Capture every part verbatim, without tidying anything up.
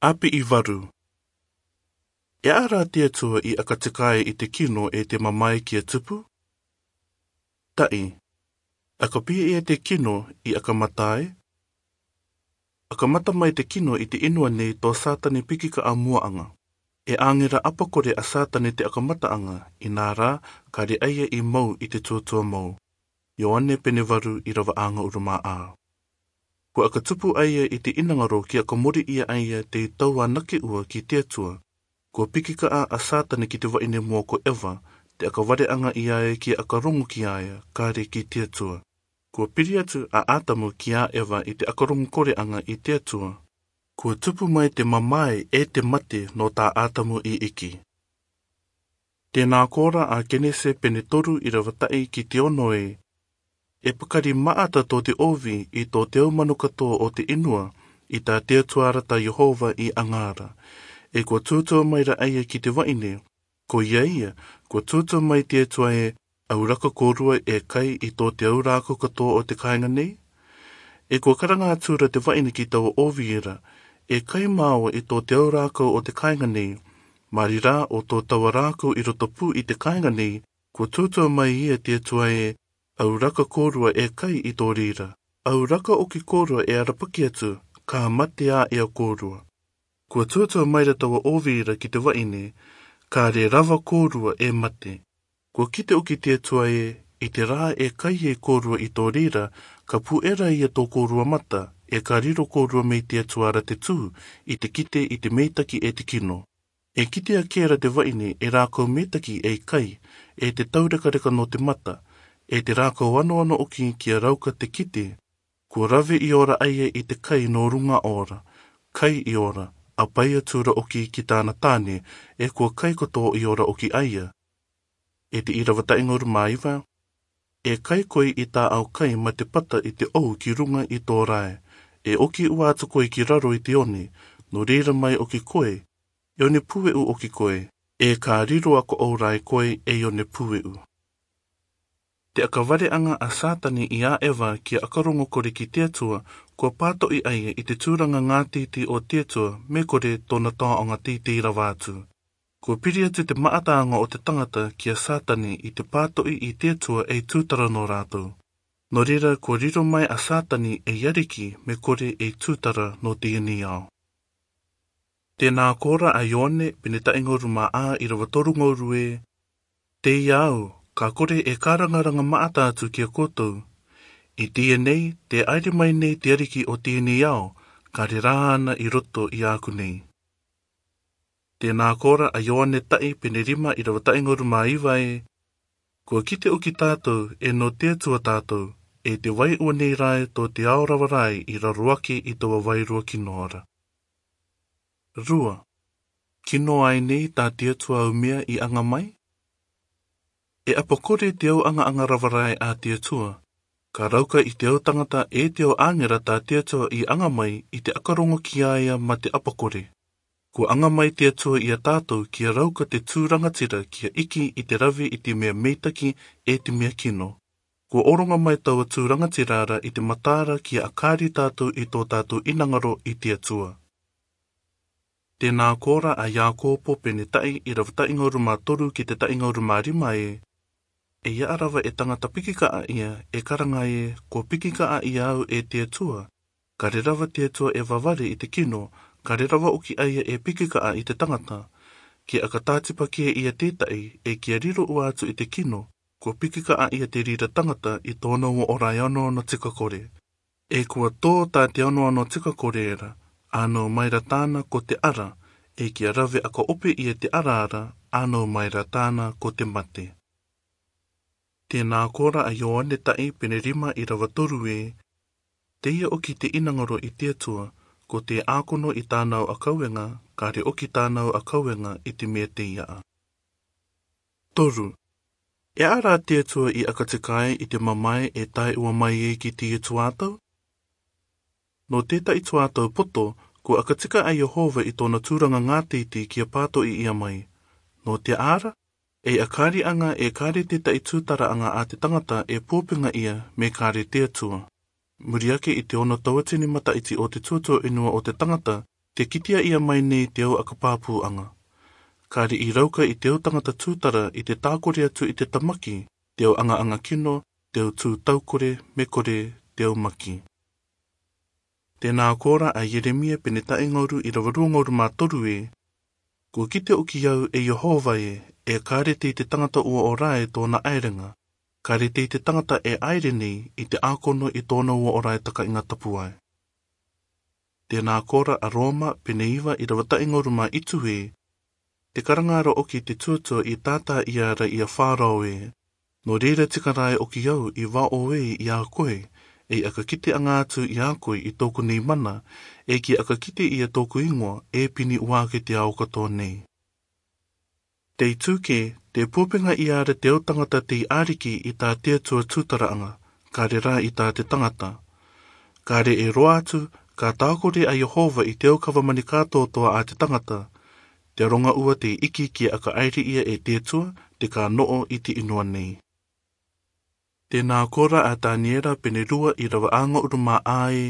Api i varu. E ara te Atua i aka tikae i te kino e te mamae ki a tupu? Ta'i, aka pi'e te kino i aka matae? Aka mata mai te kino i te inua nei to Satani piki ka'a mua'anga. E angera apakore a Satani te aka mata'anga, inā rā, kare aia i mou i te tuatua mou. Ioane pene varu irava aanga urumā a. Ko aka tupu aia i te inangaro ki aka mori ia aia te tau anake ua ki te Atua. Ko piki ka'a a Satani ki te va'ine mua ko Eva, te aka vare'anga ia e ki aka rongo ki aia, kare ki te Atua. Ko piri atu a Atamu ki a Eva i te aka rongo kore'anga i te Atua. Ko tupu mai te mamae e te mate no ta Atamu i iki. Tēnā kora a Kenese pene toru irava ta'i ki te ono e. E pakari ma'ata to te ovi i to te au mano katoa o te inua, i ta te Atua ra ta Iehova i 'anga ra. E ko tutua mai ra aia ki te va'ine, ko ia ia, ko tutua mai te Atua e, au raka korua e kai i to te au rākau katoa o te kāinga nei? E ko karanga atu ra te va'ine ki taua ovi ra, e kai māua i to te au rākau o te kāinga nei, mari rā o to taua rākau i roto pū i te kāinga nei, ko tutua mai ia te Atua e, au raka korua e kai i to rira, au raka oki korua e arapaki atu, ka mate a ia korua. Ko tutua mai ra taua ovi ra ki te va'ine, kare rava korua e mate. Ko kite oki te Atua e, i te rā e kai e korua i to rira, ka pu'e ra ia to korua mata, e ka riro korua mai te Atua ra te tū, i te kite i te meitaki e te kino. E kite ake ra te va'ine e rākau meitaki ei kai, e te taurekareka no te mata, e te rākau anoano oki ki a rauka te kite. Ko rave i ora aia i te kai no ruŋa ora, kai i ora, a pai atu ra oki ki tāna tāne, e ko kai katoa i ora oki aia. E te irava ta'i ŋaorumā iva. E kai koe i tā'au kai ma te pata i te 'ou ki ruŋa i to rae, e oki ua atu koe ki raro i te one, no reira mai oki koe, e one pue'u oki koe, e ka riro a ko'ou rae koe e one pue'u. Te aka vare'anga a Satani i a Eva ki a aka roŋo kore ki te Atua, kua pāto'i aia i te tūraŋa ŋātiti o te Atua, me kore tōna tō'oŋa tītī rava atu. Kua piri atu te ma'ataaŋa o te taŋata ki a Satani i te pāto'i i te Atua ei tūtara nō rātou. Nō reira kua riro mai a Satani ei ariki me kore ei tūtara nō teie nei ao. Tēnā kora a Ioane, pene ta'i ŋaorumā a irava toru ŋaoru e. Teie au, ka kore e ka raŋaraŋa ma'ata atu ki a koutou. I teie nei, te 'aere mai nei te ariki o teie nei ao, ka rerā 'ana i roto i ā'aku nei. Tēnā kora a Ioane ta'i pene rima irava ta'i ŋaorumā iva e. Kua kite oki tātou, e nō te Atua tātou, e te vai ua nei rae to te ao rava rae i raro ake i taua vairua kino ra. Rua. Kino ai nei ta te Atua umia i aŋa mai? E apakore te au aŋa-aŋa rava rae a te Atua. Ka rauka i te au taŋata e te au 'āŋera ta te Atua i aŋa mai i te aka roŋo ki a ia ma te apakore. Kua aŋa mai te Atua i a tātou ki a rauka te tū rangatira ki a iki i te rave i te mea meitaki e te mea kino. Kua oronga mai taua tū rangatira ra i te mataara ki a akari tātou i tō tātou inaŋaro i te Atua. Tēnā kora a Iakopo pene ta'i irava ta'i ŋaorumā toru ki te ta'i ŋaorumā rima e. E ia rava e taŋata piki ka'a ia, e ka raŋa e, kua piki ka'a ia au e te Atua. Ka rerava te Atua e vavare i te kino, ka rerava oki aia e piki ka'a i te taŋata. Ki a ka tātipa ke ia te ta'i, e ki a riro ua atu i te kino, kua piki ka'a ia te rira taŋata i tōna ua ora e ano ano tika kore. E kua tō ta te ano ano tika kore ra, ano mai ra tāna ko te ara, e ki a rave aka ope ia te ara ra, ano mai ra tāna ko te mate. Tēnā kora a Ioane ta'i pene rima irava toru e. Teie oki te inaŋaro i te Atua, ko te ākono i tāna au akaueŋa, ka re oki tāna au akaueŋa i te mea tei a'a. Toru. E ara te Atua i aka tikae i te mamae e tae ua mai e ki te Atua tau? Nō te ta'i tuatau poto, kua aka tika a Iehova i tōna tūraŋa ŋātiti ki a pāto'i ia mai. Nō te ara, e akari aŋa e kare te ta'i tūtara aŋa a te taŋata e pōpenga ia me kare te Atua. Muri ake i te ono tauatini mata'iti o te tuatua inua o te taŋata, Te kitiaia mai nei te au akapapūaga. Ka re'i rauka i te au tagata tūtara i te tākore atu i te tamaki te au agaaga kino, te au tū taukore, me kore te au maki. Tēnā kōrā a Ieremia pene taʻi ngauru irava rua ngauru mā toru ē: Kua kite ʻoki au, e Iehova ē, e kare tei te tangata ʻua ora e tōna ʻaerenga, kare tei te tangata e ʻaere nei i te ʻākono i tōna ʻua ora e takaʻiga tapu ai. Tēnā kōrā a Roma pene iva irava taʻi ngauru mā itu ē: Te karanga ra ʻoki te tuatua i tātāʻia ra ia Farao ē, nō reira tika rā e ʻoki au i vaʻo ē ia koe, ei ʻakakiteaga atu ia koe i tōku nei mana, e kia ʻakakite ia tōku igoa e pini ʻuake te ao katoa nei. Tei tuke, te pupenga ia ra te au tagata tei ʻariki i tā te Atua tūtaraaga, kare rā i tā te tangata. Kare e roa atu, ka tākore a Iehova i te au kava mani kātoatoa a te tangata, te aroga ʻua tei iki kia ʻakaʻairi ia e te Atua, te ka noʻo i te inua nei. Tēnā kōrā a Taniera pene rua irava ʻa ngauru mā ʻā ē: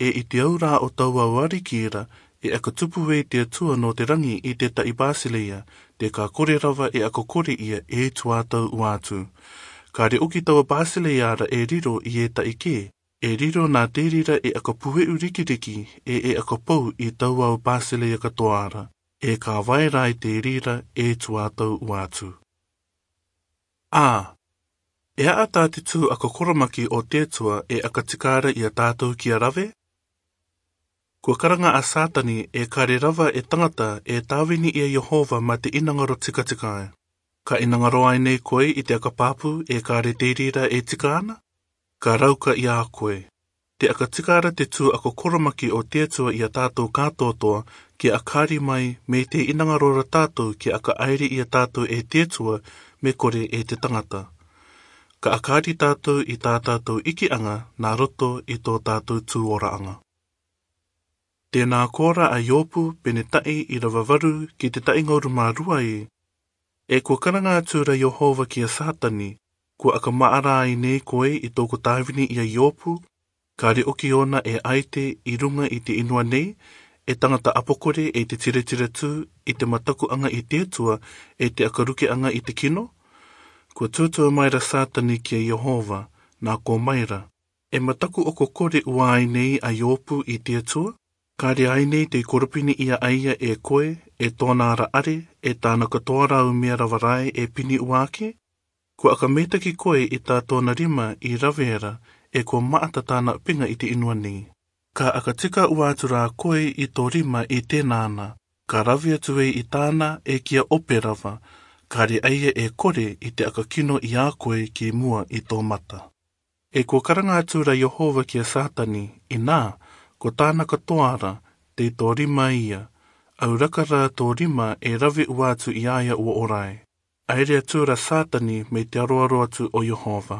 E i te au rā o tauau ariki ra, e ʻakatupu ē te Atua nō te rangi i te taʻi Basileia, te ka kore rava e ʻakakore ia e tuatau ʻua atu. Kare ʻoki taua Basileia ra e riro i e taʻi kē, e riro nā te reira e ʻakapueʻu rikiriki, e e ʻakapou i tauau Basileia katoa ra, e ka vae rā i te reira e tuatau ʻua atu. A. E aʻa tā te tū ʻakakoromaki o te Atua e ʻakatika ra ia tātou kia rave? Kua karanga a Satani e kare rava e tangata e tāvini ia Iehova mā te inangaro tikatika. Ka inangaro ai nei koe i te ʻakapapū e kare te reira e tika ana? Ka rauka ia koe. Te ʻakatika ra te tū ʻakakoromaki o te Atua ia tātou kātoatoa, kia ʻakari mai, mei te inangaro ra tātou kia ʻakaʻairi ia tātou e te Atua, me kore e te tangata. Ka ʻakari tātou i tā tātou ikiaga nā roto i tō tātou tū oraaga. Tēnā kōrā a Iopu pene taʻi irava varu ki te taʻi ngauru mā rua ē: E kua karanga atu ra Iehova kia Satani, kua ʻakamaʻa rā ai nei koe i tōku tāvini ia Iopu, kare ʻoki ōna e ʻaite i ruga i te inua nei, e tangata ʻapokore e te tiretire tū i te matakuaga i te Atua, e te ʻakarukeaga i te kino? Kua tuatua mai ra Satani kia Iehova, nā kō mai ra. E mataku ʻoku kore ʻua ai nei a Iopu i te Atua? Kare ai nei tei koropini ia ai ia e koe, e tōna ra ʻare, e tāna katoa ra au mea rava rae e pini ʻuake? Kua ʻakamitaki koe i tā tōna rima i rave ra, e kua maʻata tāna ʻapinga i te inua nei. Ka ʻakatika ʻua atu rā koe i tō rima i tēnā na, ka rave atu ē i tāna e kia ope rava, kare ai ia e kore i te ʻakakino ia koe ki mua i tō mata. E kua karanga atu ra Iehova kia Satani, inā, ko tāna katoa ra, tei tō rima ia, au raka rā tō rima e rave ʻua atu ia ia ʻua ora e. ʻAere atu ra Satani mei te aroaro atu o Iehova.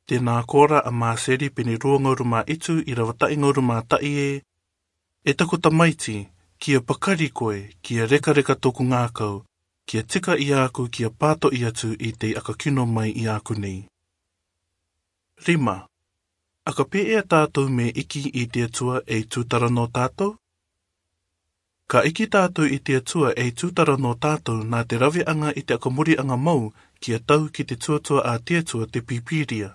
Tēnā kōrā a Māseri pene rua ngauru mā itu irava taʻi ngauru mā taʻi ē: E taku tamaiti, kia pakari koe, kia rekareka tōku ngakau, kia tika ia aku kia pātoʻi atu i tei ʻakakino mai ia aku nei. Rima. ʻAkapē ʻa tātou mei iki i te Atua ei tūtara nō tātou? Ka iki tātou i te Atua ei tūtara nō tātou nā te raveaga i te ʻakamuriaga mau kia tau ki te tuatua a te Atua, te Pīpīria.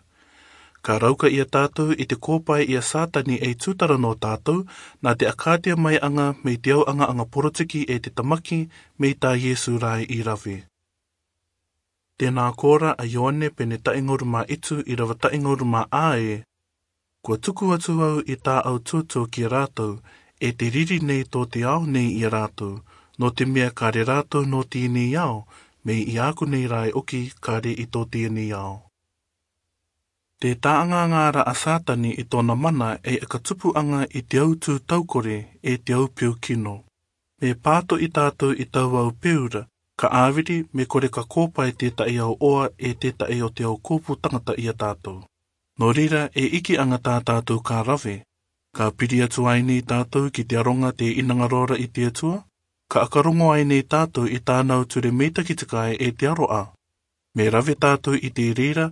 Ka rauka ia tātou i te kōpae ia Satani ei tūtara nō tātou nā te ʻakātea maiaga mei te au agaaga porotiki e te tamaki mei tā Iesu rae i rave. Tēnā kōrā a Ioane pene taʻi ngauru mā itu irava taʻi ngauru mā ʻā ē: Kua tuku atu au i tā au tuatua kia rātou, e te riri nei tō te ao nei ia rātou, nō te mea kare rātou nō tēnei ao, mei ia aku nei rā e ʻoki kare i tō tēnei ao. Te tāagaga ra a Satani i tōna mana ei ʻakatupuaga i te au tū taukore e te au peu kino. Me pātoʻi tātou i tauau peu ra, ka ʻāviri me kore ka kōpae tētaʻi ao ʻoa e tētaʻi o te au kōpū tangata ia tātou. Nō reira e ikiaga tā tātou ka rave. Ka piri atu ai nei tātou ki te aroga tē inangaro ra i te Atua? Ka ʻakarongo ai nei tātou i tāna au ture mei takitakai e te aroʻa? Me rave tātou i te reira,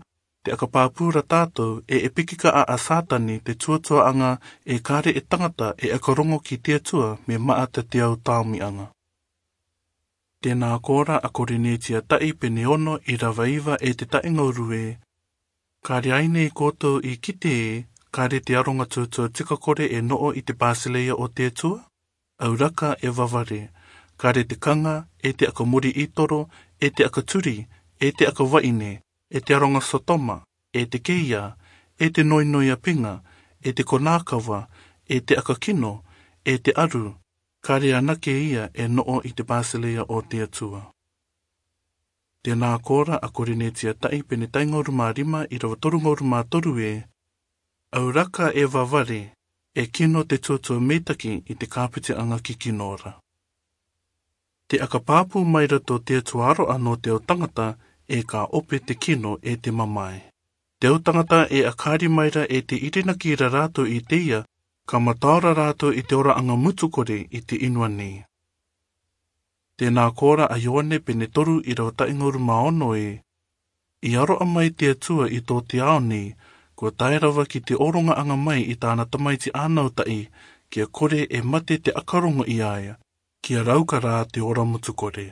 Te aka papura tatou e epikika a Satani te tuatuaaga e kare e tagata e aka rogo ki te Atua me maata te au taomiaga. Tena ko ra a Korinetia tai pene ono irava iva e te taingauru e: Kare ai nei koutou i kite e, kare te aroga tuatua tika kore e noo i te Basileia o te Atua? Auraka e vavare, kare te kaga, e te aka mori itoro, e te aka turi, e te aka vaine, e te aroga Sotoma, e te keia, e te noinoi apiga, e te konakava, e te aka kino, e te aru, kare anake ia e noo i te Basileia o te Atua. Tena ko ra a Korinetia tai pene taingauru ma rima irava torungauru ma toru e: Auraka e vavare, e kino te tuatua meitaki i te kapitiaga kikino ra. Te aka papu maira to te Atua aroa no te au tagata, e ka ope te kino e te mamae. Te au tagata e akari maira e te irinaki ra ratou i te ia, ka mataora ratou i te oraaga mutu kore i te inua nei. Tena ko ra a Ioane pene toru irava taingauru ma ono e: I aroa mai te Atua i to te ao nei, ko tae rava ki te orogaaga mai i tana tamaiti anautai, kia kore e mate te aka rogo i a ia, kia rauka ra te ora mutu kore.